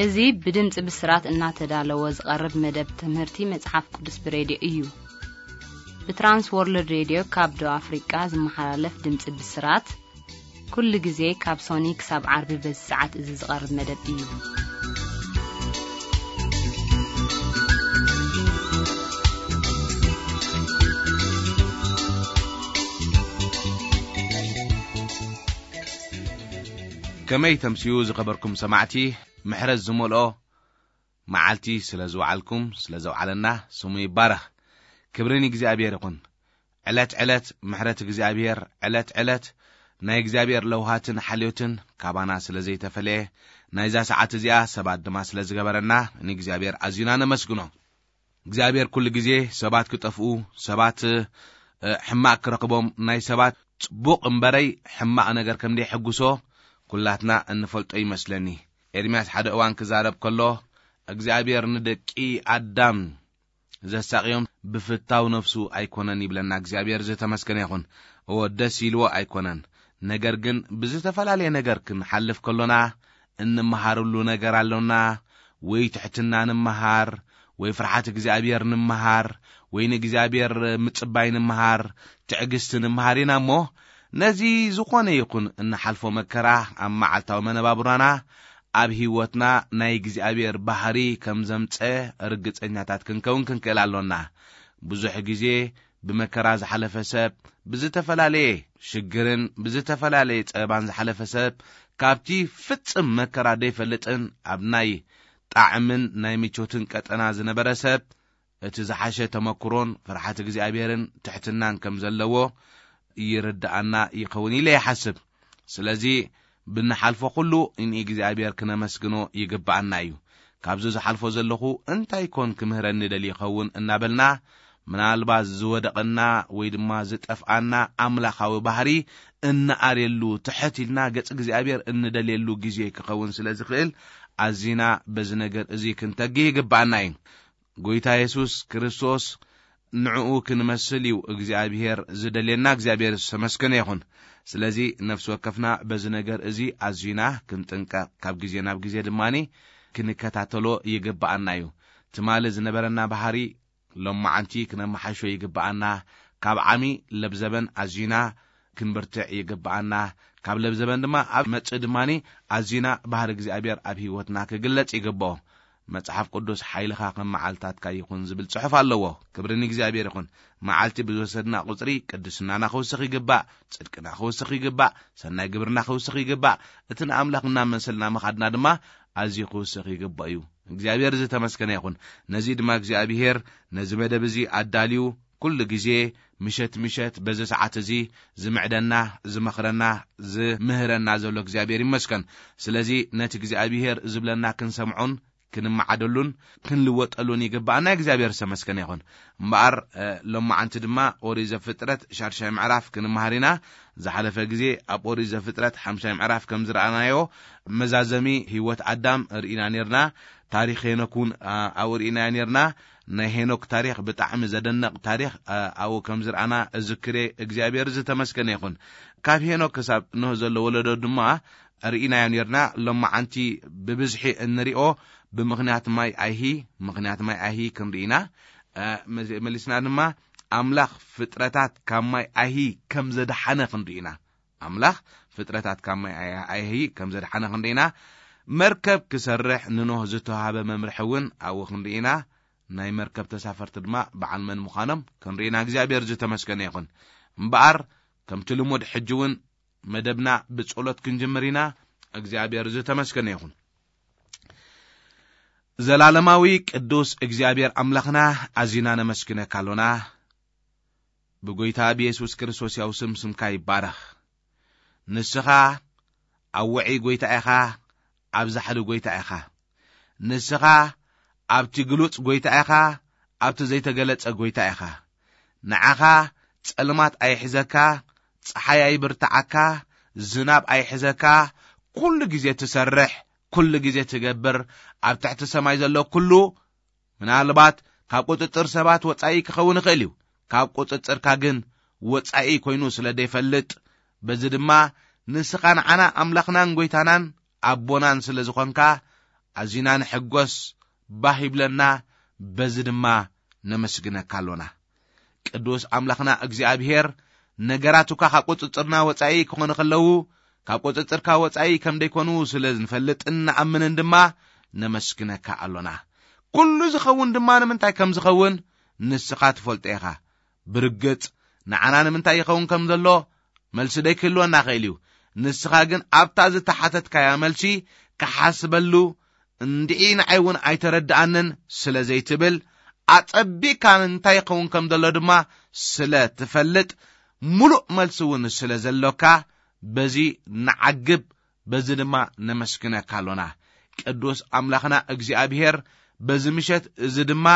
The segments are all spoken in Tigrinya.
እዚ ብድምፂ ብስራት እናተዳለወ ዝቐርብ መደብ ትምህርቲ መጽሓፍ ቅዱስ ብሬድዮ እዩ። ብትራንስ ወርልድ ሬድዮ ካብ ደቡብ ኣፍሪቃ ዝመሓላለፍ ድምፂ ብስራት፣ ኩሉ ግዜ ካብ ሶኒ ክሳብ ዓርቢ በዚ ሰዓት እዚ ዝቐርብ መደብ እዩ። ከመይ ተምስዩ ዝኸበርኩም ሰማዕቲ፣ ምሕረት ዝመልኦ መዓልቲ ስለ ዝወዓልኩም፣ ስለ ዘውዓለና ስሙ ይባረኽ። ክብሪ ንእግዚኣብሔር ይኹን። ዕለት ዕለት ምሕረት እግዚኣብሔር፣ ዕለት ዕለት ናይ እግዚኣብሔር ለውሃትን ሓልዮትን ካባና ስለ ዘይተፈለየ፣ ናይዛ ሰዓት እዚኣ ሰባት ድማ ስለ ዝገበረና ንእግዚኣብሔር ኣዝዩና ነመስግኖ። እግዚኣብሔር ኩሉ ግዜ ሰባት ክጠፍኡ፣ ሰባት፣ እ፣ ሕማቕ ክረኽቦም፣ ናይ ሰባት ጽቡቕ እምበረይ ሕማቕ ነገር ከም ደይሕጉሶ ኩላትና እንፈልጦ ይመስለኒ። ኤርምያስ ሓደ እዋን ክዛረብ ከሎ፣ እግዚኣብሔር ንደቂ ኣዳም ዘሳቕዮም ብፍታው ነፍሱ ኣይኮነን ይብለና። እግዚኣብሔር ዝተመስገነ ይኹን። እወ፣ ደስ ኢልዎ ኣይኮነን። ነገር ግን ብዝተፈላለየ ነገር ክንሓልፍ ከሎና እንመሃርሉ ነገር ኣሎና። ወይ ትሕትና ንምሃር፣ ወይ ፍርሓት እግዚኣብሔር ንምሃር፣ ወይ ንእግዚኣብሔር ምጽባይ ንምሃር፣ ትዕግስቲ ንምሃር ኢና እሞ፣ ነዚ ዝኾነ ይኹን እንሓልፎ መከራ ኣብ መዓልታዊ መነባብሮና፣ ኣብ ህይወትና ናይ እግዚኣብሔር ባህሪ ከም ዘምጸ ርግጸኛታት ክንከውን ክንክእል ኣሎና። ብዙሕ ግዜ ብመከራ ዝሓለፈ ሰብ፣ ብዝተፈላለየ ሽግርን ብዝተፈላለየ ጸበባን ዝሓለፈ ሰብ፣ ካብቲ ፍጽም መከራ ደይፈልጥን ኣብ ናይ ጣዕምን ናይ ምቾትን ቀጠና ዝነበረ ሰብ፣ እቲ ዝሓሸ ተመክሮን ፍርሓት እግዚኣብሔርን ትሕትናን ከም ዘለዎ ይርድኣና ይኸውን ኢለ ይሓስብ። ስለዚ ብንሓልፎ ኩሉ ንእግዚኣብሔር ክነመስግኖ ይግብኣና እዩ። ካብዚ ዝሓልፎ ዘለኹ እንታይ ኮን ክምህረኒ ደልዩ ይኸውን እናበልና፣ ምናልባት ዝወደቐና ወይ ድማ ዝጠፍኣና ኣምላኻዊ ባህሪ እንኣርየሉ፣ ትሕት ኢልና ገጽ እግዚኣብሔር እንደልየሉ ግዜ ክኸውን ስለ ዝኽእል፣ ኣዚና በዚ ነገር እዚ ክንተግህ ይግብኣና እዩ። ጎይታ የሱስ ክርስቶስ ንዕኡ ክንመስል እዩ እግዚኣብሔር ዝደልየና። እግዚኣብሔር ዝተመስገነ ይኹን። ስለዚ ነፍሲ ወከፍና በዚ ነገር እዚ ኣዚና ክንጥንቀቕ፣ ካብ ግዜ ናብ ግዜ ድማኒ ክንከታተሎ ይግብኣና እዩ። ትማሊ ዝነበረና ባህሪ ሎማዓንቲ ክነመሓሾ ይግብኣና። ካብ ዓሚ ለብዘበን ኣዚና ክንብርትዕ ይግብኣና። ካብ ለብዘበን ድማ ኣብ መጽእ ድማኒ ኣዚና ባህሪ እግዚኣብሔር ኣብ ህይወትና ክግለጽ ይግብኦ። መጽሓፍ ቅዱስ ሓይልኻ ከም መዓልታትካ ይኹን ዝብል ጽሑፍ ኣለዎ። ክብሪ ንእግዚኣብሔር ይኹን። መዓልቲ ብዝወሰድና ቁጽሪ ቅድስናና ክውስኽ ይግባእ፣ ጽድቅና ክውስኽ ይግባእ፣ ሰናይ ግብርና ክውስኽ ይግባእ። እቲ ንኣምላኽ እናመሰልና ምኻድና ድማ ኣዝዩ ክውስኽ ይግባእ እዩ። እግዚኣብሔር ዝተመስገነ ይኹን። ነዚ ድማ እግዚኣብሔር ነዚ መደብ እዚ ኣዳልዩ ኩሉ ግዜ ምሸት ምሸት በዚ ሰዓት እዚ ዝምዕደና፣ ዝመኽረና፣ ዝምህረና ዘሎ እግዚኣብሔር ይመስገን። ስለዚ ነቲ እግዚኣብሔር ዝብለና ክንሰምዖን ክንመዓደሉን ክንልወጠሉን ይግባኣና። እግዚኣብሔር ዝተመስገነ ይኹን። እምበኣር፣ እ፣ ሎማዓንቲ ድማ ኦሪት ዘፍጥረት ሻድሻይ ምዕራፍ ክንመሃር ኢና። ዝሓለፈ ግዜ ኣብ ኦሪት ዘፍጥረት ሓምሻይ ምዕራፍ ከም ዝረኣናዮ መዛዘሚ ህይወት ኣዳም ርኢና ኔርና። ታሪኽ ሄኖክ እውን፣ ኣ፣ ኣብኡ ርኢናዮ ኔርና። ናይ ሄኖክ ታሪኽ ብጣዕሚ ዘደንቕ ታሪኽ፣ ኣ፣ ኣብኡ ከም ዝረኣና እዝክሬ። እግዚኣብሔር ዝተመስገነ ይኹን። ካብ ሄኖክ ክሳብ ኖህ ዘሎ ወለዶ ድማ ርኢናዮ ኔርና። ሎማዓንቲ ብብዝሒ እንሪኦ ብምኽንያት ማይ ኣይሂ፣ ምኽንያት ማይ ኣይሂ ክንርኢ ኢና። እ፣ መዚ-፣ መሊስና ድማ ኣምላኽ ፍጥረታት ካብ ማይ ኣይሂ ከም ዘድሓነ ክንርኢ ኢና። ኣምላኽ ፍጥረታት ካብ ማይ ኣይ-፣ ኣይሂ ከም ዘድሓነ ክንርኢ ኢና። መርከብ ክሰርሕ ንኖህ ዝተዋሃበ መምርሒ እውን ኣብኡ ክንርኢ ኢና። ናይ መርከብ ተሳፈርቲ ድማ በዓል መን ምዃኖም ክንርኢ ኢና። እግዚኣብሔር ዝተመስገነ ይኹን። እምበኣር ከምቲ ልሙድ ሕጂ እውን መደብና ብጸሎት ክንጅምር ኢና። እግዚኣብሔር ዝተመስገነ ይኹን። ዘላለማዊ ቅዱስ እግዚኣብሔር ኣምላኽና፣ ኣዚና ነመስግነካ ኣሎና። ብጎይታ ብየሱስ ክርስቶስ ያው ስም ስምካ ይባረኽ። ንስኻ ኣብ ውዑይ ጎይታ ኢኻ፣ ኣብ ዛሕሊ ጎይታ ኢኻ። ንስኻ ኣብቲ ግሉጽ ጎይታ ኢኻ፣ ኣብቲ ዘይተገለጸ ጎይታ ኢኻ። ንዓኻ ጸልማት ኣይሕዘካ፣ ጸሓይ ኣይብርትዓካ፣ ዝናብ ኣይሕዘካ፣ ኩሉ ግዜ ትሰርሕ፣ ኩሉ ግዜ ትገብር፣ ኣብ ትሕቲ ሰማይ ዘሎ ኩሉ ምናልባት ካብ ቁጽጽር ሰባት ወጻኢ ክኸውን ይኽእል እዩ። ካብ ቁጽጽርካ ግን ወጻኢ ኮይኑ ስለ ዘይፈልጥ፣ በዚ ድማ ንስኻ ንዓና ኣምላኽናን ጎይታናን ኣቦናን ስለ ዝኾንካ፣ ኣዚና ንሕጎስ፣ ባህ ይብለና፣ በዚ ድማ ነመስግነካ ኣሎና። ቅዱስ ኣምላኽና እግዚኣብሔር፣ ነገራት እኳ ካብ ቁጽጽርና ወጻኢ ክኾኑ ከለዉ፣ ካብ ቁጽጽርካ ወጻኢ ከም ደይኮኑ ስለ ንፈልጥን ንኣምንን ድማ ነመስግነካ ኣሎና። ኩሉ ዝኸውን ድማ ንምንታይ ከም ዝኸውን ንስኻ ትፈልጦ ኢኻ። ብርግጽ ንዓና ንምንታይ ይኸውን ከም ዘሎ መልሲ ደይክህልወና ኽእል እዩ። ንስኻ ግን ኣብታ ዝተሓተትካያ መልሲ ክሓስበሉ፣ እንድዒ ንዓይ እውን ኣይተረድኣንን ስለ ዘይትብል፣ ኣጸቢቕካ እንታይ ይኸውን ከም ዘሎ ድማ ስለ ትፈልጥ፣ ምሉእ መልሲ እውን ስለ ዘሎካ፣ በዚ ንዓግብ፣ በዚ ድማ ነመስግነካ ኣሎና። ቅዱስ ኣምላኽና እግዚኣብሔር፣ በዚ ምሸት እዚ ድማ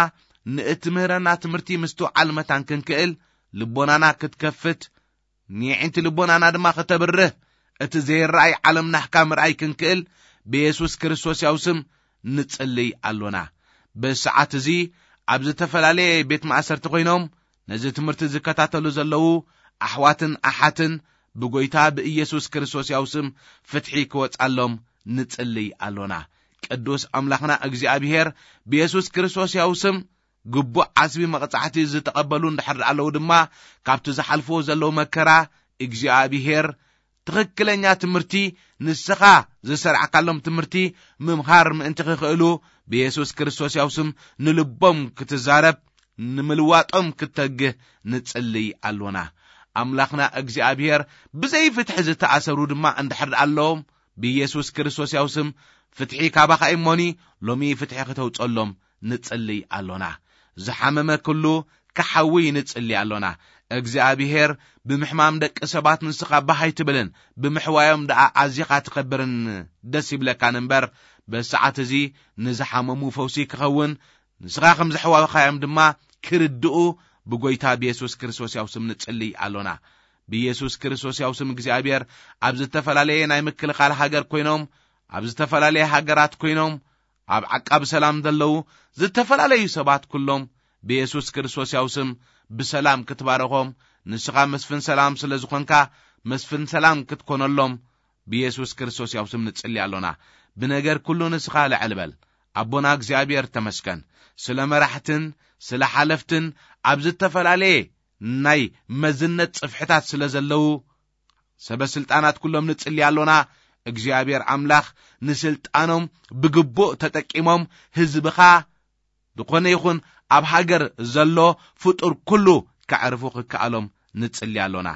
ንእትምህረና ትምህርቲ ምስትውዓል መታን ክንክእል፣ ልቦናና ክትከፍት፣ ንየዒንቲ ልቦናና ድማ ከተብርህ፣ እቲ ዘይረኣይ ዓለም ናህካ ምርኣይ ክንክእል፣ ብየሱስ ክርስቶስ ያው ስም ንጽልይ ኣሎና። በዚ ሰዓት እዚ ኣብ ዝተፈላለየ ቤት ማእሰርቲ ኮይኖም ነዚ ትምህርቲ ዝከታተሉ ዘለዉ ኣሕዋትን ኣሓትን፣ ብጎይታ ብኢየሱስ ክርስቶስ ያው ስም ፍትሒ ክወጻሎም ንጽልይ ኣሎና። ቅዱስ ኣምላኽና እግዚኣብሔር፣ ብየሱስ ክርስቶስ ያው ስም ግቡእ ዓስቢ መቕጻዕቲ ዝተቐበሉ እንድሕር ኣለዉ ድማ፣ ካብቲ ዝሓልፍዎ ዘለዉ መከራ እግዚኣብሔር ትኽክለኛ ትምህርቲ፣ ንስኻ ዝሰርዓካሎም ትምህርቲ ምምሃር ምእንቲ ክኽእሉ፣ ብየሱስ ክርስቶስ ያው ስም ንልቦም ክትዛረብ፣ ንምልዋጦም ክተግህ ንጽልይ ኣሎና። ኣምላኽና እግዚኣብሔር፣ ብዘይ ፍትሒ ዝተኣሰሩ ድማ እንድሕር ኣለዎም፣ ብየሱስ ክርስቶስ ያው ስም ፍትሒ ካባኻ እሞኒ፣ ሎሚ ፍትሒ ክተውጸሎም ንጽልይ ኣሎና። ዝሓመመ ኩሉ ክሓዊ ንጽሊ ኣሎና። እግዚኣብሔር፣ ብምሕማም ደቂ ሰባት ንስኻ ባህ ኣይትብልን፣ ብምሕዋዮም ደኣ ኣዚኻ ትኸብርን ደስ ይብለካን እምበር፣ በዚ ሰዓት እዚ ንዝሓመሙ ፈውሲ ክኸውን፣ ንስኻ ከም ዘሕዋኻዮም ድማ ክርድኡ፣ ብጎይታ ብየሱስ ክርስቶስ ያው ስም ንጽሊ ኣሎና። ብየሱስ ክርስቶስ ያው ስም እግዚኣብሔር፣ ኣብ ዝተፈላለየ ናይ ምክልኻል ሃገር ኮይኖም፣ ኣብ ዝተፈላለየ ሃገራት ኮይኖም፣ ኣብ ዓቃቢ ሰላም ዘለዉ ዝተፈላለዩ ሰባት ኩሎም ብየሱስ ክርስቶስ ያው ስም ብሰላም ክትባረኾም፣ ንስኻ መስፍን ሰላም ስለ ዝኾንካ፣ መስፍን ሰላም ክትኮነሎም ብየሱስ ክርስቶስ ያው ስም ንጽሊ ኣሎና። ብነገር ኩሉ ንስኻ ልዕል በል። ኣቦና እግዚኣብሔር ተመስገን። ስለ መራሕትን ስለ ሓለፍትን ኣብ ዝተፈላለየ ናይ መዝነት ጽፍሕታት ስለ ዘለዉ ሰበ ስልጣናት ኩሎም ንጽሊ ኣሎና። እግዚኣብሔር ኣምላኽ ንስልጣኖም ብግቡእ ተጠቂሞም ህዝብኻ ዝኾነ ይኹን ኣብ ሃገር ዘሎ ፍጡር ኩሉ ከዕርፉ ክከኣሎም ንጽሊ ኣሎና።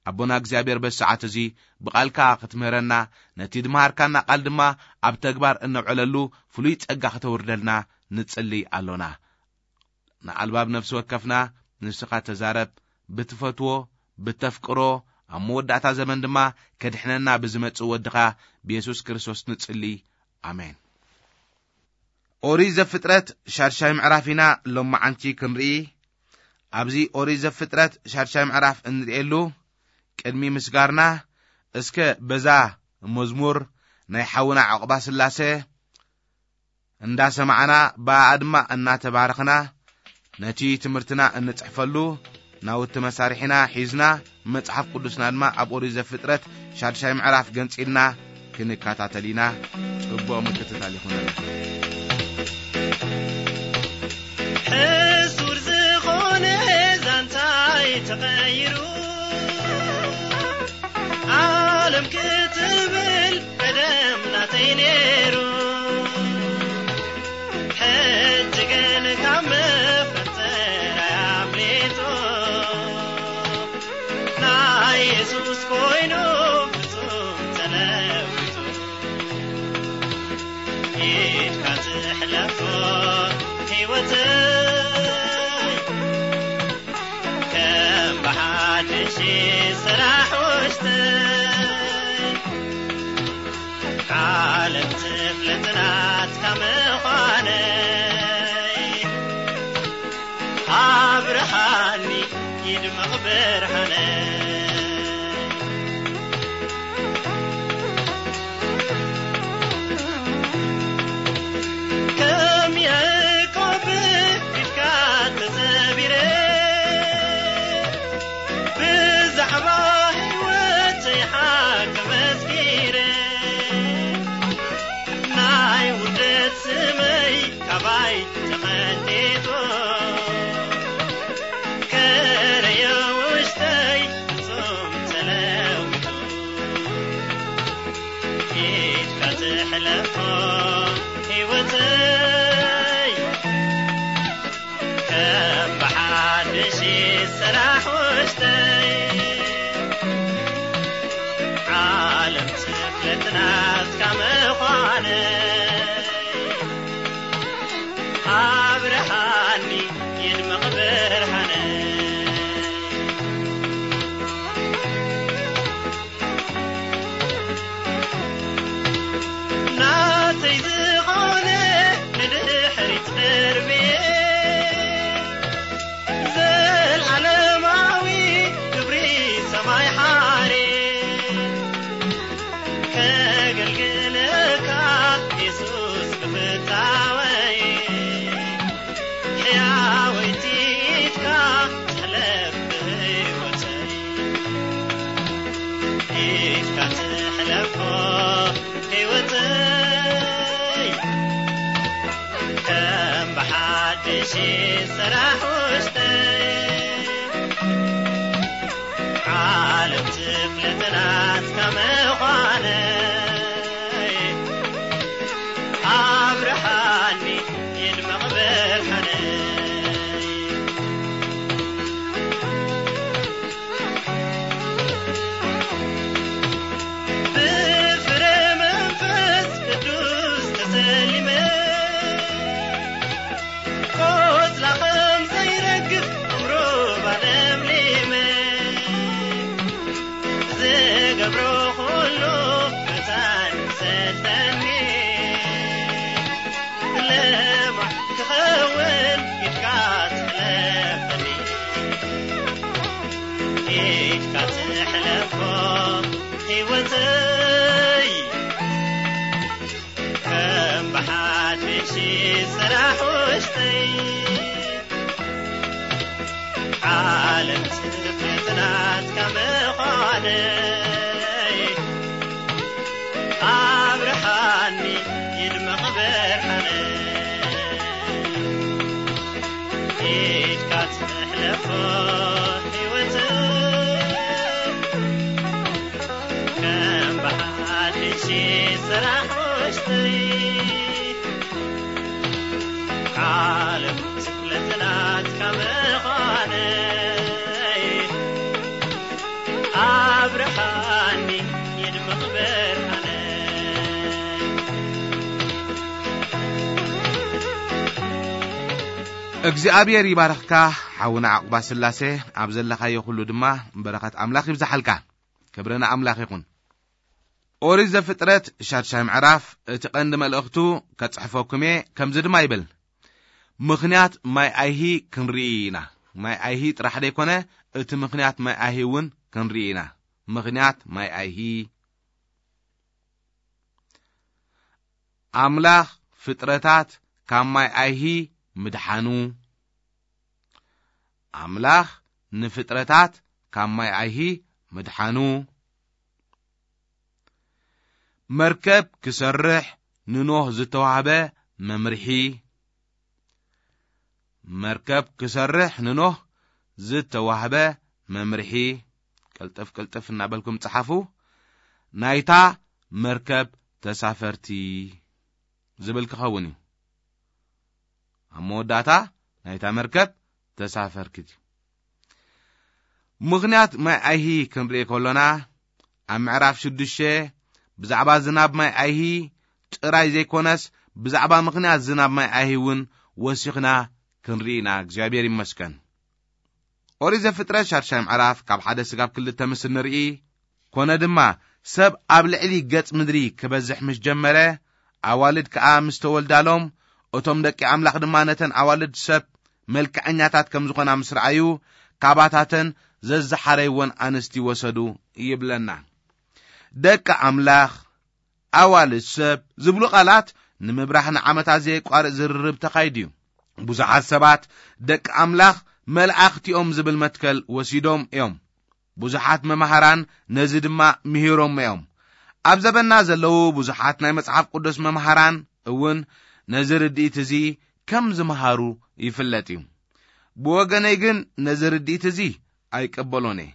ኣቦና እግዚኣብሔር በዚ ሰዓት እዚ ብቓልካ ክትምህረና፣ ነቲ ድምሃርካና ቃል ድማ ኣብ ተግባር እነውዕለሉ ፍሉይ ጸጋ ክተውርደልና ንጽሊ ኣሎና። ንኣልባብ ነፍሲ ወከፍና ንስኻ ተዛረብ፣ ብትፈትዎ፣ ብተፍቅሮ፣ ኣብ መወዳእታ ዘመን ድማ ከድሕነና ብዝመጽእ ወድኻ ብየሱስ ክርስቶስ ንጽሊ። ኣሜን። ኦሪት ዘፍጥረት ሻድሻይ ምዕራፍ ኢና ሎማዓንቲ ክንርኢ። ኣብዚ ኦሪት ዘፍጥረት ሻድሻይ ምዕራፍ እንርእየሉ ቅድሚ ምስጋርና፣ እስከ በዛ መዝሙር ናይ ሓውና ዕቑባ ስላሴ እንዳሰማዕና፣ ብኣኣ ድማ እናተባረኽና፣ ነቲ ትምህርትና እንጽሕፈሉ ናውቲ መሳርሒና ሒዝና፣ መጽሓፍ ቅዱስና ድማ ኣብ ኦሪት ዘፍጥረት ሻድሻይ ምዕራፍ ገንጺልና ክንከታተል ኢና። ጽቡቕ ምክትታል ይኹነና። ሕሱር ዝኾነ ዛንታይ ተቐይሩ፣ ዓለም ክትብል ቀደም ናተይ ነይሩ። ሕጂ ግን ካብ መፈጠራይ ኣምሊጡ፣ ናይ የሱስ ኮይኑ ፍጹም ተለዊጡ። ኢድካ ትሕለፎ ህይወተይ፣ ከም ብሓድሽ ስራሕ ውሽጠይ። ዓለም ትፍለጥ ናትካ ምዃነይ፣ ኣብርሃኒ ይድመቕ ብርሃነይ። ከም ያዕቆብ ኢድካ ተጸቢረ፣ ብዛዕባ ህይወተይ ሓቂ መስኪረ። ናይ ውርደት ሕለፎ ህይወተይ ከም ብሓድሽ ስራሕ ውሽጠይ ዓለም ትፍለጥ ናትካ ምዃነይ ኣብርሃኒ ይድመቕ ብርሃነይ። ናተይ ዝኾነ ንድሕሪት ቅርብየ ዘልዓለማዊ ክብሪ ሰማይ ሓሬ ከገልግለካ የሱስ ብፍታወይ ሕያወይቲ ኢድካ ትሕለፍ ብህይወተይ ኢድካ ትሕለፎ ህይወተይ ከም ብሓድሽ ስራሕ ውሽጠይ ዓለም ትፍለጥ ናትካ ምዃነይ ኣብርሃኒ ይድመቕ ብርሃነይ። ብፍረ መንፈስ ቅዱስ ተሰሊመ ቆጽላ ከም ዘይረግፍ ዕምሮ ባለምሊመ ዝገብሮ ኩሉ መታን ሰልጠኒ ለማዕ ክኸውን ኢድካ ትሕለፈኒ ኢድካ ትሕለፎ ህይወተይ ከም ብሓድሽ ስራሕ ውሽጠይ ዓለም ትፍለጥ ናትካ ምዃነይ ኣብርሃኒ ይድመቕ ብርሃነይ ኢድካ ትሕለፎ ህይወተይ ከም ብሓድሽ ስራሕ ውሽጠይ ዓለም ትፍለጥ ናትካ ምዃነይ ኣብርሃኒ ይድመቕ ብርሃነይ። እግዚኣብሔር ይባርኽካ ሓውና ዓቑባ ስላሴ፣ ኣብ ዘለኻዮ ኩሉ ድማ በረኸት ኣምላኽ ይብዝሓልካ። ክብሪ ንኣምላኽ ይኹን። ኦሪት ዘፍጥረት ሻድሻይ ምዕራፍ እቲ ቀንዲ መልእኽቱ ከጽሕፈኩም እየ። ከምዚ ድማ ይብል፣ ምኽንያት ማይ ኣይሂ ክንርኢ ኢና። ማይ ኣይሂ ጥራሕ ደይኮነ፣ እቲ ምኽንያት ማይ ኣይሂ እውን ክንርኢ ኢና። ምኽንያት ማይ ኣይሂ። ኣምላኽ ፍጥረታት ካብ ማይ ኣይሂ ምድሓኑ። ኣምላኽ ንፍጥረታት ካብ ማይ ኣይሂ ምድሓኑ። መርከብ ክሰርሕ ንኖህ ዝተዋህበ መምርሒ። መርከብ ክሰርሕ ንኖህ ዝተዋህበ መምርሒ። ቅልጥፍ ቅልጥፍ እናበልኩም ጸሓፉ። ናይታ መርከብ ተሳፈርቲ ዝብል ክኸውን እዩ። ኣብ መወዳእታ ናይታ መርከብ ተሳፈርክት እዩ። ምኽንያት ማይ ኣይሂ ክንርኢ ከሎና፣ ኣብ ምዕራፍ ሽዱሽተ ብዛዕባ ዝናብ ማይ ኣይሂ ጥራይ ዘይኮነስ፣ ብዛዕባ ምኽንያት ዝናብ ማይ ኣይሂ እውን ወሲኽና ክንርኢ ኢና። እግዚኣብሔር ይመስገን። ኦሪት ዘፍጥረት ሻድሻይ ምዕራፍ ካብ ሓደ ስጋብ ክልተ ምስ እንርኢ፣ ኮነ ድማ ሰብ ኣብ ልዕሊ ገጽ ምድሪ ክበዝሕ ምስ ጀመረ፣ ኣዋልድ ከኣ ምስ ተወልዳሎም፣ እቶም ደቂ ኣምላኽ ድማ ነተን ኣዋልድ ሰብ መልክዐኛታት ከም ዝኾና ምስ ረኣዩ፣ ካባታተን ዘዝሓረይወን ኣንስቲ ወሰዱ ይብለና። ደቂ ኣምላኽ ኣዋልድ ሰብ ዝብሉ ቃላት ንምብራህ ንዓመታት ዘየቋርጽ ዝርርብ ተኻይዱ እዩ። ብዙሓት ሰባት ደቂ ኣምላኽ መላእኽቲ እዮም ዝብል መትከል ወሲዶም እዮም። ብዙሓት መምሃራን ነዚ ድማ ምሂሮም እዮም። ኣብ ዘበና ዘለዉ ብዙሓት ናይ መጽሓፍ ቅዱስ መምሃራን እውን ነዚ ርድኢት እዚ ከም ዝመሃሩ ይፍለጥ እዩ። ብወገነይ ግን ነዚ ርድኢት እዚ ኣይቀበሎን እየ።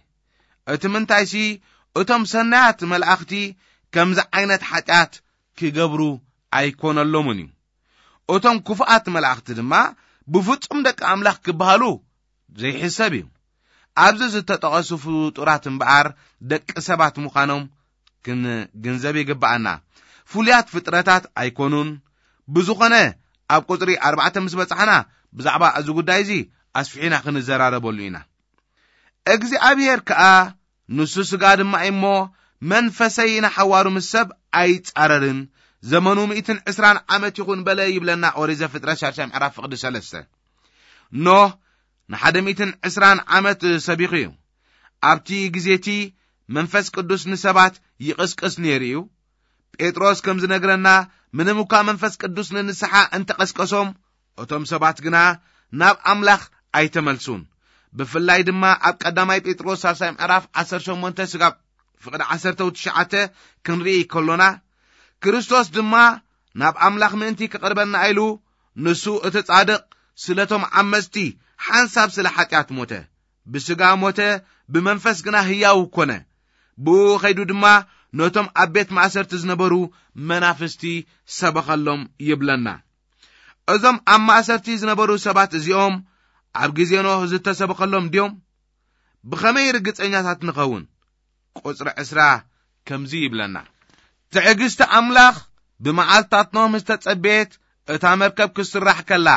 እቲ ምንታይሲ እቶም ሰናያት መላእኽቲ ከምዚ ዓይነት ሓጢኣት ክገብሩ ኣይኮነሎምን እዩ። እቶም ክፉኣት መላእኽቲ ድማ ብፍጹም ደቂ ኣምላኽ ክበሃሉ ዘይሕሰብ እዩ። ኣብዚ ዝተጠቐሱ ፍጡራት እምበኣር ደቂ ሰባት ምዃኖም ክንግንዘብ ይግብኣና። ፍሉያት ፍጥረታት ኣይኮኑን። ብዝኾነ ኣብ ቁጽሪ ኣርባዕተ ምስ በጻሕና ብዛዕባ እዚ ጉዳይ እዚ ኣስፊሒና ክንዘራረበሉ ኢና። እግዚኣብሔር ከኣ ንሱ ስጋ ድማ እሞ መንፈሰይ ንሓዋሩ ምስ ሰብ ኣይጻረርን፣ ዘመኑ ሚእትን ዕስራን ዓመት ይኹን በለ ይብለና ኦሪት ዘፍጥረት ሻድሻይ ምዕራፍ ፍቕዲ ሰለስተ። ኖህ ንሓደ ሚእትን ዕስራን ዓመት ሰቢኹ እዩ። ኣብቲ ግዜ እቲ መንፈስ ቅዱስ ንሰባት ይቕስቅስ ነይሩ እዩ። ጴጥሮስ ከም ዝነግረና፣ ምንም እኳ መንፈስ ቅዱስ ንንስሓ እንተቐስቀሶም፣ እቶም ሰባት ግና ናብ ኣምላኽ ኣይተመልሱን። ብፍላይ ድማ ኣብ ቀዳማይ ጴጥሮስ ሳልሳይ ምዕራፍ ዓሰርተ ሸሞንተ ስጋብ ፍቕዲ ዓሰርተ ትሽዓተ ክንርኢ ከሎና፣ ክርስቶስ ድማ ናብ ኣምላኽ ምእንቲ ክቕርበና ኢሉ፣ ንሱ እቲ ጻድቕ ስለቶም ዓመጽቲ ሓንሳብ ስለ ሓጢኣት ሞተ። ብስጋ ሞተ፣ ብመንፈስ ግና ህያው ኮነ። ብኡ ኸይዱ ድማ ነቶም ኣብ ቤት ማእሰርቲ ዝነበሩ መናፍስቲ ሰበኸሎም ይብለና። እዞም ኣብ ማእሰርቲ ዝነበሩ ሰባት እዚኦም ኣብ ግዜ ኖህ ዝተሰበኸሎም ድዮም? ብኸመይ ርግጸኛታት ንኸውን? ቁጽሪ ዕስራ ከምዚ ይብለና፣ ትዕግስቲ ኣምላኽ ብመዓልትታት ኖህ ምስ ተጸበየት፣ እታ መርከብ ክትስራሕ ከላ፣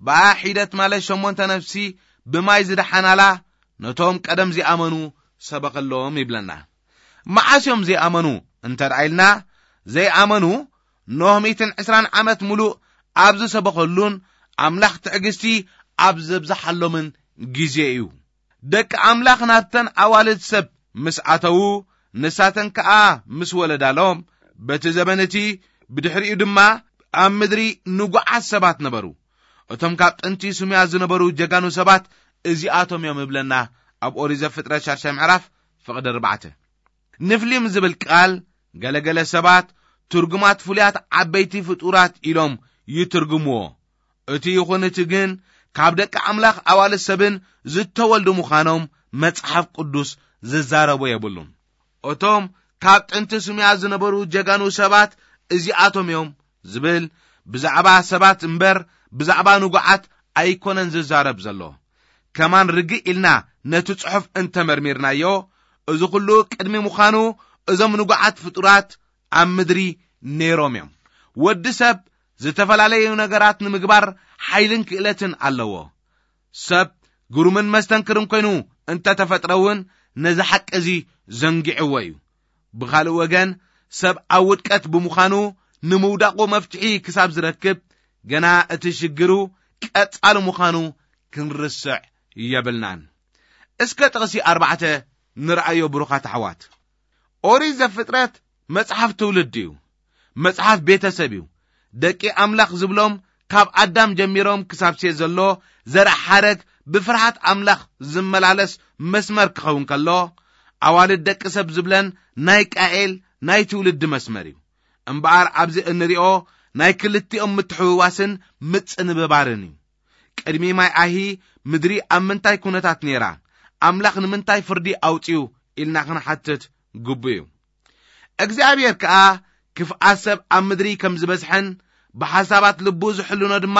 ብኣ ሒደት ማለት ሸሞንተ ነፍሲ ብማይ ዝደሓናላ ነቶም ቀደም ዚኣመኑ ሰበኸሎም ይብለና። መዓስ እዮም ዘይኣመኑ እንተ ደኣ ኢልና፣ ዘይኣመኑ ኖህ ሚእትን ዕስራን ዓመት ምሉእ ኣብ ዝሰበኸሉን ኣምላኽ ትዕግስቲ ኣብ ዘብዝሓሎምን ግዜ እዩ። ደቂ ኣምላኽ ናብተን ኣዋልድ ሰብ ምስ ኣተዉ፣ ንሳተን ከኣ ምስ ወለዳሎም፣ በቲ ዘበን እቲ ብድሕሪኡ ድማ ኣብ ምድሪ ንጉዓት ሰባት ነበሩ። እቶም ካብ ጥንቲ ስሙያ ዝነበሩ ጀጋኑ ሰባት እዚኣቶም እዮም እብለና ኣብ ኦሪት ዘፍጥረት ሻድሻይ ምዕራፍ ፍቕዲ ኣርባዕተ። ንፍሊም ዝብል ቃል ገለገለ ሰባት ትርጉማት ፍሉያት ዓበይቲ ፍጡራት ኢሎም ይትርጉምዎ። እቲ ይኹን እቲ ግን ካብ ደቂ ኣምላኽ ኣዋልድ ሰብን ዝተወልዱ ምዃኖም መጽሓፍ ቅዱስ ዝዛረቦ የብሉን። እቶም ካብ ጥንቲ ስሙያ ዝነበሩ ጀጋኑ ሰባት እዚኣቶም እዮም ዝብል ብዛዕባ ሰባት እምበር ብዛዕባ ንጉዓት ኣይኮነን ዝዛረብ ዘሎ። ከማን ርግእ ኢልና ነቲ ጽሑፍ እንተመርሚርናዮ፣ እዚ ኹሉ ቅድሚ ምዃኑ እዞም ንጉዓት ፍጡራት ኣብ ምድሪ ነይሮም እዮም። ወዲ ሰብ ዝተፈላለዩ ነገራት ንምግባር ሓይልን ክእለትን ኣለዎ። ሰብ ግሩምን መስተንክርን ኮይኑ እንተተፈጥረ እውን ነዚ ሓቂ እዚ ዘንጊዕዎ እዩ። ብኻልእ ወገን ሰብ ኣብ ውድቀት ብምዃኑ ንምውዳቑ መፍትሒ ክሳብ ዝረክብ ገና እቲ ሽግሩ ቀጻሊ ምዃኑ ክንርስዕ የብልናን። እስከ ጥቕሲ ኣርባዕተ ንርኣዮ ብሩኻት ኣሕዋት። ኦሪት ዘፍጥረት መጽሓፍ ትውልዲ እዩ። መጽሓፍ ቤተሰብ እዩ። ደቂ ኣምላኽ ዝብሎም ካብ ኣዳም ጀሚሮም ክሳብ ሴት ዘሎ ዘርእ ሓረግ ብፍርሃት ኣምላኽ ዝመላለስ መስመር ክኸውን ከሎ፣ ኣዋልድ ደቂ ሰብ ዝብለን ናይ ቃኤል ናይ ትውልዲ መስመር እዩ። እምበኣር ኣብዚ እንሪኦ ናይ ክልቲኦም ምትሕውዋስን ምጽንብባርን እዩ። ቅድሚ ማይ ኣሂ ምድሪ ኣብ ምንታይ ኩነታት ነይራ? ኣምላኽ ንምንታይ ፍርዲ ኣውጺኡ ኢልና ክንሓትት ግቡእ እዩ። እግዚኣብሔር ከኣ ክፍኣት ሰብ ኣብ ምድሪ ከም ዝበዝሐን ብሓሳባት ልቡ ዝሕልኖ ድማ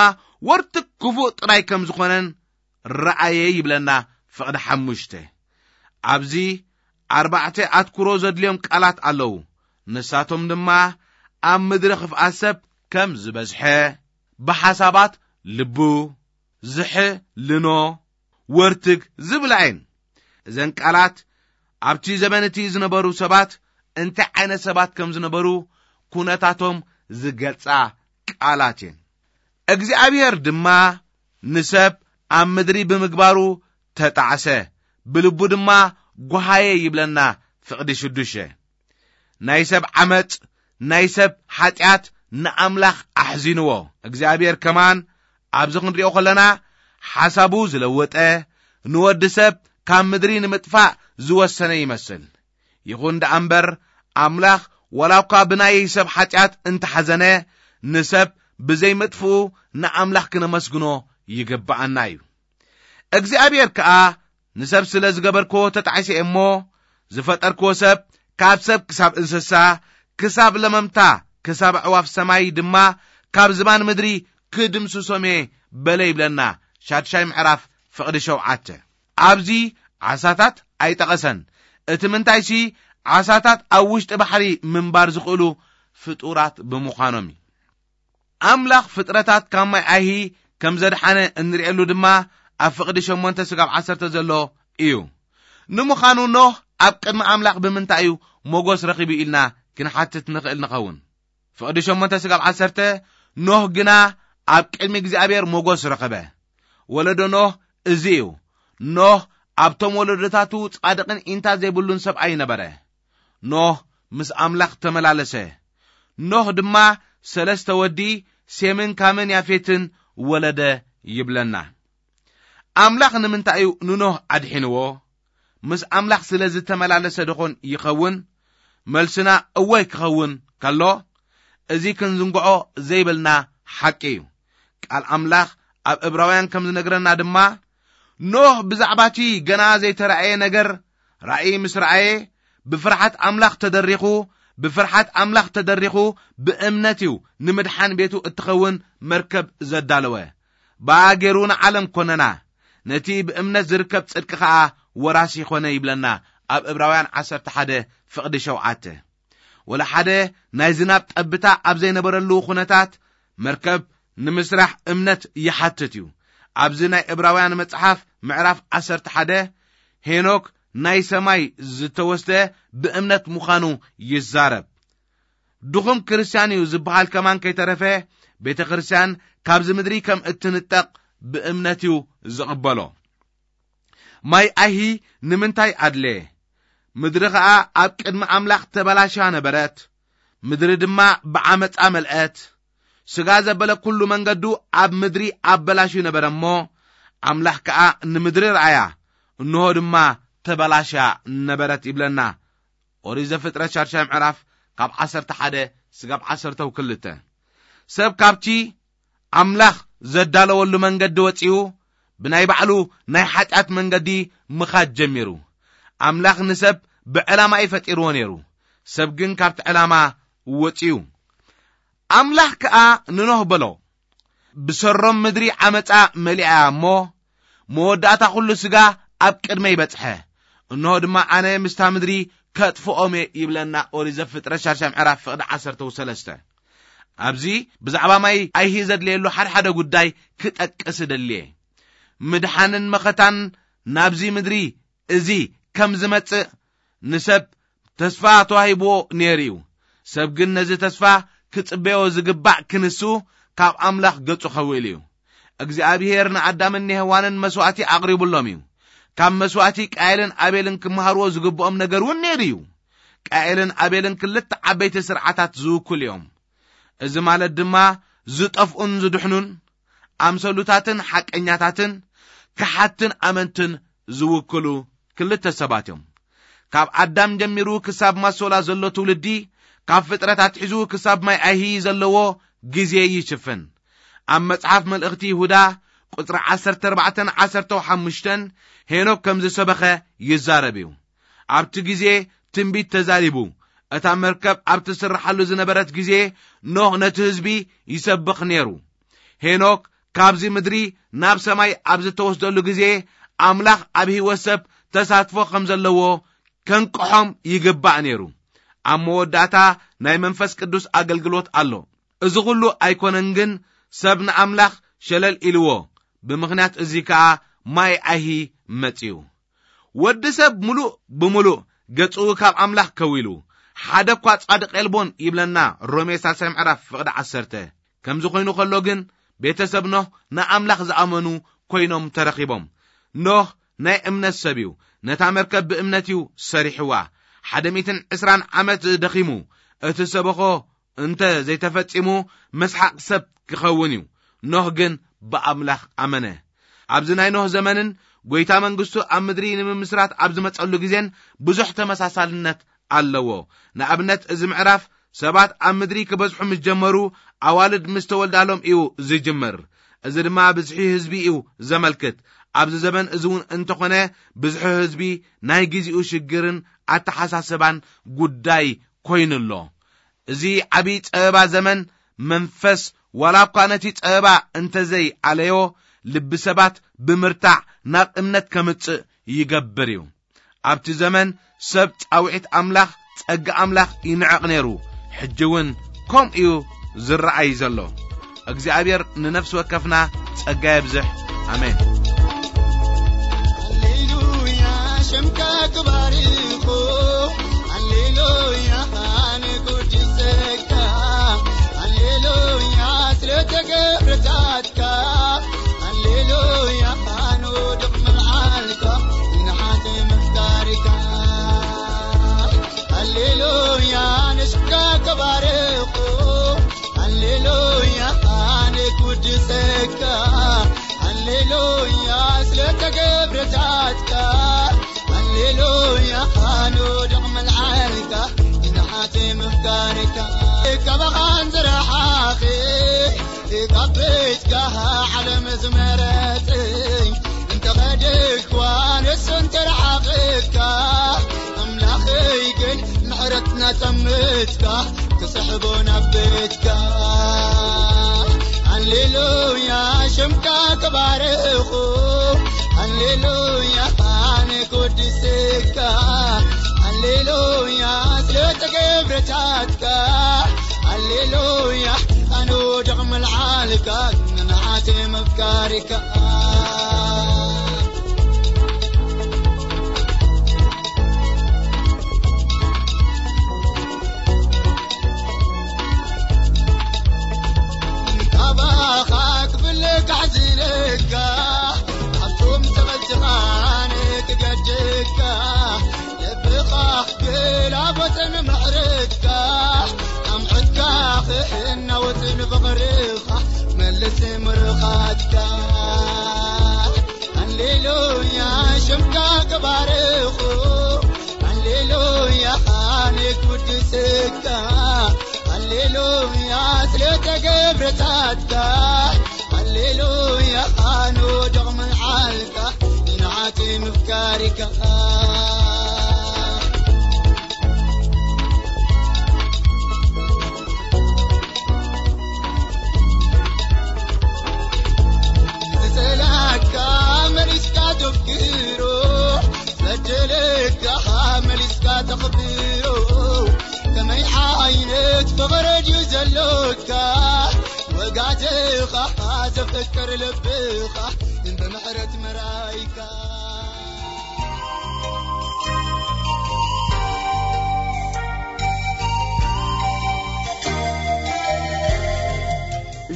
ወርትግ ክፉእ ጥራይ ከም ዝኾነን ረኣየ ይብለና ፍቕዲ ሓሙሽተ። ኣብዚ ኣርባዕተ ኣትኩሮ ዘድልዮም ቃላት ኣለዉ። ንሳቶም ድማ ኣብ ምድሪ ክፍኣት ሰብ ከም ዝበዝሐ፣ ብሓሳባት ልቡ፣ ዝሕልኖ፣ ወርትግ ዝብላ እየን። እዘን ቃላት ኣብቲ ዘበን እቲ ዝነበሩ ሰባት እንታይ ዓይነት ሰባት ከም ዝነበሩ ኩነታቶም ዝገልጻ ቃላት እየን። እግዚኣብሔር ድማ ንሰብ ኣብ ምድሪ ብምግባሩ ተጣዕሰ፣ ብልቡ ድማ ጓሃየ ይብለና ፍቕዲ ሽዱሽተ። ናይ ሰብ ዓመጽ፣ ናይ ሰብ ሓጢኣት ንኣምላኽ ኣሕዚንዎ። እግዚኣብሔር ከማን ኣብዚ ክንሪኦ ከለና ሓሳቡ ዝለወጠ፣ ንወዲ ሰብ ካብ ምድሪ ንምጥፋእ ዝወሰነ ይመስል። ይኹን ደኣ እምበር ኣምላኽ ዋላ እኳ ብናይ ሰብ ሓጢኣት እንተሓዘነ፣ ንሰብ ብዘይምጥፍኡ ንኣምላኽ ክነመስግኖ ይግብኣና እዩ። እግዚኣብሔር ከኣ ንሰብ ስለ ዝገበርክዎ ተጣዒሰ እየ እሞ፣ ዝፈጠርክዎ ሰብ ካብ ሰብ ክሳብ እንስሳ፣ ክሳብ ለመምታ ክሳብ ኣዕዋፍ ሰማይ ድማ ካብ ዝባን ምድሪ ክድምስሶም እየ በለ ይብለና ሻድሻይ ምዕራፍ ፍቕዲ ሸውዓተ። ኣብዚ ዓሳታት ኣይጠቐሰን። እቲ ምንታይሲ ዓሳታት ኣብ ውሽጢ ባሕሪ ምንባር ዝኽእሉ ፍጡራት ብምዃኖም እዩ። ኣምላኽ ፍጥረታት ካብ ማይ ኣይሂ ከም ዘድሓነ እንርእየሉ ድማ ኣብ ፍቕዲ ሸሞንተ ስጋብ ዓሰርተ ዘሎ እዩ። ንምዃኑ ኖህ ኣብ ቅድሚ ኣምላኽ ብምንታይ እዩ ሞጎስ ረኺቡ ኢልና ክንሓትት ንኽእል ንኸውን። ፍቕዲ ሸሞንተ ስጋብ ዓሰርተ፣ ኖህ ግና ኣብ ቅድሚ እግዚኣብሔር ሞጎስ ረኸበ። ወለዶ ኖህ እዚ እዩ። ኖህ ኣብቶም ወለዶታቱ ጻድቕን ኢንታ ዘይብሉን ሰብኣይ ነበረ። ኖህ ምስ ኣምላኽ ተመላለሰ። ኖህ ድማ ሰለስተ ወዲ ሴምን ካምን ያፌትን ወለደ ይብለና። ኣምላኽ ንምንታይ እዩ ንኖህ ኣድሒንዎ? ምስ ኣምላኽ ስለ ዝተመላለሰ ደኾን ይኸውን? መልስና እወ ክኸውን ከሎ፣ እዚ ክንዝንግዖ ዘይብልና ሓቂ እዩ። ቃል ኣምላኽ ኣብ ዕብራውያን ከም ዝነግረና ድማ፣ ኖህ ብዛዕባ እቲ ገና ዘይተራእየ ነገር ራእይ ምስ ረኣየ፣ ብፍርሓት ኣምላኽ ተደሪኹ፣ ብፍርሓት ኣምላኽ ተደሪኹ፣ ብእምነት እዩ ንምድሓን ቤቱ እትኸውን መርከብ ዘዳለወ። ብኣ ገይሩ ንዓለም ኮነና፣ ነቲ ብእምነት ዝርከብ ጽድቂ ኸኣ ወራሲ ኾነ ይብለና ኣብ ዕብራውያን ዓሰርተ ሓደ ፍቕዲ ሸውዓተ። ወላ ሓደ ናይ ዝናብ ጠብታ ኣብ ዘይነበረሉ ኩነታት መርከብ ንምስራሕ እምነት ይሓትት እዩ። ኣብዚ ናይ ዕብራውያን መጽሓፍ ምዕራፍ ዓሰርተ ሓደ ሄኖክ ናይ ሰማይ ዝተወስደ ብእምነት ምዃኑ ይዛረብ። ድኹም ክርስትያን እዩ ዝበሃል ከማን ከይተረፈ ቤተ ክርስትያን ካብዚ ምድሪ ከም እትንጠቕ ብእምነት እዩ ዝቕበሎ። ማይ ኣይሂ ንምንታይ ኣድለ? ምድሪ ኸኣ ኣብ ቅድሚ ኣምላኽ ተበላሽያ ነበረት። ምድሪ ድማ ብዓመጻ መልአት። ስጋ ዘበለ ኩሉ መንገዱ ኣብ ምድሪ ኣበላሽዩ ነበረ እሞ፣ ኣምላኽ ከኣ ንምድሪ ረኣያ፣ እንሆ ድማ ተበላሽያ ነበረት ይብለና። ኦሪት ዘፍጥረት ሻድሻይ ምዕራፍ ካብ ዓሰርተ ሓደ ስጋብ ዓሰርተ ክልተ። ሰብ ካብቲ ኣምላኽ ዘዳለወሉ መንገዲ ወጺኡ ብናይ ባዕሉ ናይ ሓጢኣት መንገዲ ምኻድ ጀሚሩ። ኣምላኽ ንሰብ ብዕላማ እዩ ፈጢርዎ ነይሩ። ሰብ ግን ካብቲ ዕላማ ወጺኡ። ኣምላኽ ከኣ ንኖህ በሎ፣ ብሰሮም ምድሪ ዓመጻ መሊኣ እሞ፣ መወዳእታ ኩሉ ስጋ ኣብ ቅድመይ በጽሐ። እንሆ ድማ ኣነ ምስታ ምድሪ ከጥፍኦም እየ ይብለና ኦሪት ዘፍጥረት ሻድሻይ ምዕራፍ ፍቕዲ ዓሰርተ ሰለስተ። ኣብዚ ብዛዕባ ማይ ኣይሂ ዘድልየሉ ሓደ ሓደ ጉዳይ ክጠቅስ እደሊ እየ። ምድሓንን መኸታን ናብዚ ምድሪ እዚ ከም ዝመጽእ ንሰብ ተስፋ ተዋሂብዎ ነይሩ እዩ። ሰብ ግን ነዚ ተስፋ ክጽበዮ ዝግባእ ክንሱ ካብ ኣምላኽ ገጹ ከውእል እዩ። እግዚኣብሔር ንኣዳምን ንሄዋንን መስዋእቲ ኣቕሪቡሎም እዩ። ካብ መስዋእቲ ቃየልን ኣቤልን ክመሃርዎ ዝግብኦም ነገር እውን ነይሩ እዩ። ቃየልን ኣቤልን ክልተ ዓበይቲ ስርዓታት ዝውክሉ እዮም። እዚ ማለት ድማ ዝጠፍኡን ዝድሕኑን፣ ኣምሰሉታትን ሓቀኛታትን፣ ከሓትን ኣመንትን ዝውክሉ ክልተ ሰባት እዮም። ካብ ኣዳም ጀሚሩ ክሳብ ማሶላ ዘሎ ትውልዲ፣ ካብ ፍጥረት ኣትሒዙ ክሳብ ማይ ኣይሂ ዘለዎ ግዜ ይሽፍን። ኣብ መጽሓፍ መልእኽቲ ይሁዳ ቁጽሪ ዓሰርተ ኣርባዕተን ዓሰርተ ሓሙሽተን ሄኖክ ከም ዝሰበኸ ይዛረብ እዩ። ኣብቲ ግዜ ትንቢት ተዛሪቡ፣ እታ መርከብ ኣብ ትስርሓሉ ዝነበረት ግዜ ኖህ ነቲ ህዝቢ ይሰብኽ ነይሩ። ሄኖክ ካብዚ ምድሪ ናብ ሰማይ ኣብ ዝተወስደሉ ግዜ ኣምላኽ ኣብ ህይወት ሰብ ተሳትፎ ከም ዘለዎ ከንቅሖም ይግባእ ነይሩ። ኣብ መወዳእታ ናይ መንፈስ ቅዱስ ኣገልግሎት ኣሎ። እዚ ኹሉ ኣይኮነን ግን ሰብ ንኣምላኽ ሸለል ኢልዎ። ብምኽንያት እዚ ከኣ ማይ ኣይሂ መጺኡ። ወዲ ሰብ ምሉእ ብምሉእ ገጹ ካብ ኣምላኽ ከዊሉ፣ ሓደ እኳ ጻድቕ የልቦን ይብለና ሮሜ ሳልሳይ ምዕራፍ ፍቕዲ ዓሰርተ። ከምዚ ኮይኑ ከሎ ግን ቤተሰብ ኖህ ንኣምላኽ ዝኣመኑ ኮይኖም ተረኺቦም። ኖህ ናይ እምነት ሰብ እዩ። ነታ መርከብ ብእምነት እዩ ሰሪሕዋ። ሓደ ሚእትን ዕስራን ዓመት ደኺሙ። እቲ ሰበኾ እንተ ዘይተፈጺሙ መስሓቕ ሰብ ክኸውን እዩ። ኖህ ግን ብኣምላኽ ኣመነ። ኣብዚ ናይ ኖህ ዘመንን ጐይታ መንግስቱ ኣብ ምድሪ ንምምስራት ኣብ ዝመጸሉ ግዜን ብዙሕ ተመሳሳልነት ኣለዎ። ንኣብነት እዚ ምዕራፍ ሰባት ኣብ ምድሪ ክበዝሑ ምስ ጀመሩ ኣዋልድ ምስ ተወልዳሎም እዩ ዝጅምር። እዚ ድማ ብዝሒ ህዝቢ እዩ ዘመልክት። ኣብዚ ዘመን እዚ እውን እንተኾነ ብዝሒ ህዝቢ ናይ ግዜኡ ሽግርን ኣተሓሳስባን ጉዳይ ኮይኑ ኣሎ። እዚ ዓብዪ ጸበባ ዘመን መንፈስ ዋላ እኳ ነቲ ጸበባ እንተዘይ ኣለዮ፣ ልቢ ሰባት ብምርታዕ ናብ እምነት ከምጽእ ይገብር እዩ። ኣብቲ ዘመን ሰብ ጻውዒት ኣምላኽ፣ ጸጋ ኣምላኽ ይንዕቕ ነይሩ። ሕጂ እውን ከምኡ እዩ ዝረኣይ ዘሎ። እግዚኣብሔር ንነፍሲ ወከፍና ጸጋ የብዝሕ። ኣሜን። ሃሌሉያ፣ ሽምካ ክባርኹ። ሃሌሉያ፣ ንኩርድሰካ። ሃሌሉያ፣ ስለተገብረታትካ። ሃሌሉያ፣ ንውድቕ ምልዓልካ። ንሓት ምፍቃርካ። ሃሌሉያ፣ ንሽምካ ክባርኹ። ሃሌሉያ፣ ኣነ ክውድሰካ። ሃሌሉያ፣ ስለተገብረታትካ። ሃሌሉያ፣ ኣነ ወድቕ ምልዓልካ። ንሓት ምፍቃርካ። ካባኻን ዝረሓቐ ካብ ቤትካ ዓለም ዝመረጸኝ እንተኸደኳ ንሱ እንተረሓቐካ ኣምላኸይ ግን ምሕረትና ጠምትካ ክስሕቦ ናብ ቤትካ። ሃሌሉያ ሽምካ ክባርኹ። ሃሌሉያ ኣነ ክወድስካ። ሃሌሉያ ስለተገብረታትካ። ሃሌሉያ ኣነ ወድቕ ምልዓልካ ንዓተ መፍቃሪካ። ካባኻ ክፍለ ካሕዝነካ ኣብቶም ተቐልትኻን ክገድካ ልብኻ ግላቦትን ምሕረትካ ኣምዕትካ ክሕናወትን ፍቕርኻ መልስ ምርኻትካ። ሃሌሉያ ሽምካ ክባርኹ። ሃሌሉያ ኣነ ክውድስካ። ሃሌሉያ ስለተገብረታትካ። ሃሌሉያ ኣነ ወድቕ ምልዓልካ ንዓቲ ምፍቃሪካ። ዝጸላእካ መሊስካ ተፍቅሮ፣ በደለካ መሊስካ ተኽብሮ። ከመይ ዓይነት ፍቕሪ ድዩ ዘሎካ? ወጋድኻ ዘፍቅር ልብኻ ብምህረት መራይካ።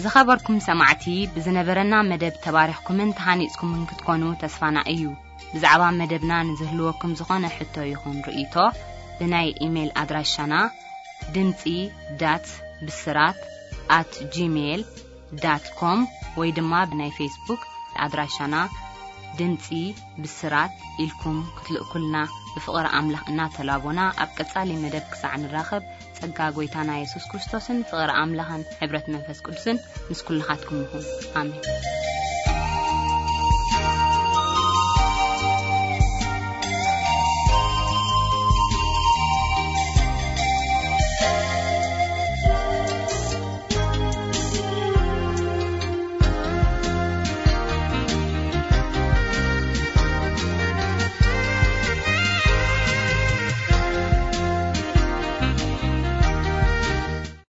ዝኸበርኩም ሰማዕቲ፣ ብዝነበረና መደብ ተባሪኽኩምን ተሃኒጽኩምን ክትኮኑ ተስፋና እዩ። ብዛዕባ መደብና ንዝህልወኩም ዝኾነ ሕቶ ይኹን ርእይቶ፣ ብናይ ኢሜይል ኣድራሻና ድምጺ ዳት ብስራት ኣት ጂሜይል ዳት ኮም ወይ ድማ ብናይ ፌስቡክ ኣድራሻና ድምጺ ብስራት ኢልኩም ክትልእኩልና ብፍቕሪ ኣምላኽ እናተላቦና፣ ኣብ ቀጻሊ መደብ ክሳዕ ንራኸብ፣ ጸጋ ጎይታና የሱስ ክርስቶስን ፍቕሪ ኣምላኽን ሕብረት መንፈስ ቅዱስን ምስ ኩልኻትኩም ይኹን። ኣሜን።